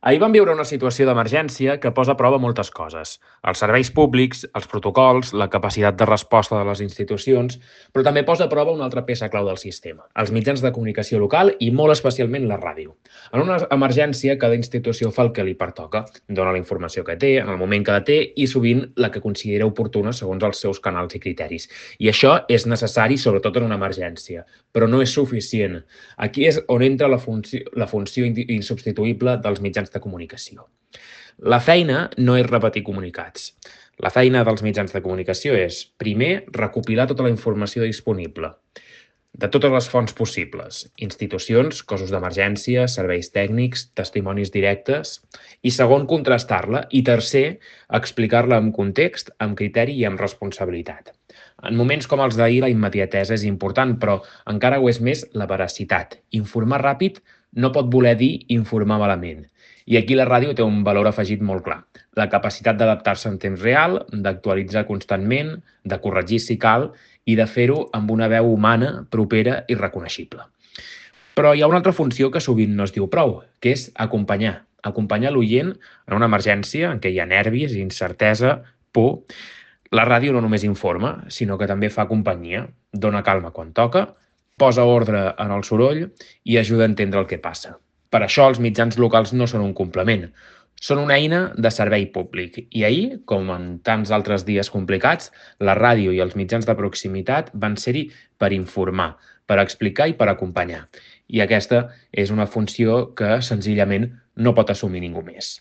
Ahir vam viure una situació d'emergència que posa a prova moltes coses. Els serveis públics, els protocols, la capacitat de resposta de les institucions, però també posa a prova una altra peça clau del sistema, els mitjans de comunicació local i molt especialment la ràdio. En una emergència, cada institució fa el que li pertoca, dona la informació que té, en el moment que la té i sovint la que considera oportuna segons els seus canals i criteris. I això és necessari sobretot en una emergència, però no és suficient. Aquí és on entra la funció insubstituïble dels mitjans de comunicació. La feina no és repetir comunicats. La feina dels mitjans de comunicació és, primer, recopilar tota la informació disponible, de totes les fonts possibles, institucions, cossos d'emergència, serveis tècnics, testimonis directes, i segon, contrastar-la, i tercer, explicar-la amb context, amb criteri i amb responsabilitat. En moments com els d'ahir, la immediatesa és important, però encara ho és més la veracitat. Informar ràpid no pot voler dir informar malament. I aquí la ràdio té un valor afegit molt clar. La capacitat d'adaptar-se en temps real, d'actualitzar constantment, de corregir si cal i de fer-ho amb una veu humana, propera i reconeixible. Però hi ha una altra funció que sovint no es diu prou, que és acompanyar. Acompanyar l'oient en una emergència en què hi ha nervis, incertesa, por. La ràdio no només informa, sinó que també fa companyia, dona calma quan toca, posa ordre en el soroll i ajuda a entendre el que passa. Per això els mitjans locals no són un complement, són una eina de servei públic. I ahir, com en tants altres dies complicats, la ràdio i els mitjans de proximitat van ser-hi per informar, per explicar i per acompanyar. I aquesta és una funció que senzillament no pot assumir ningú més.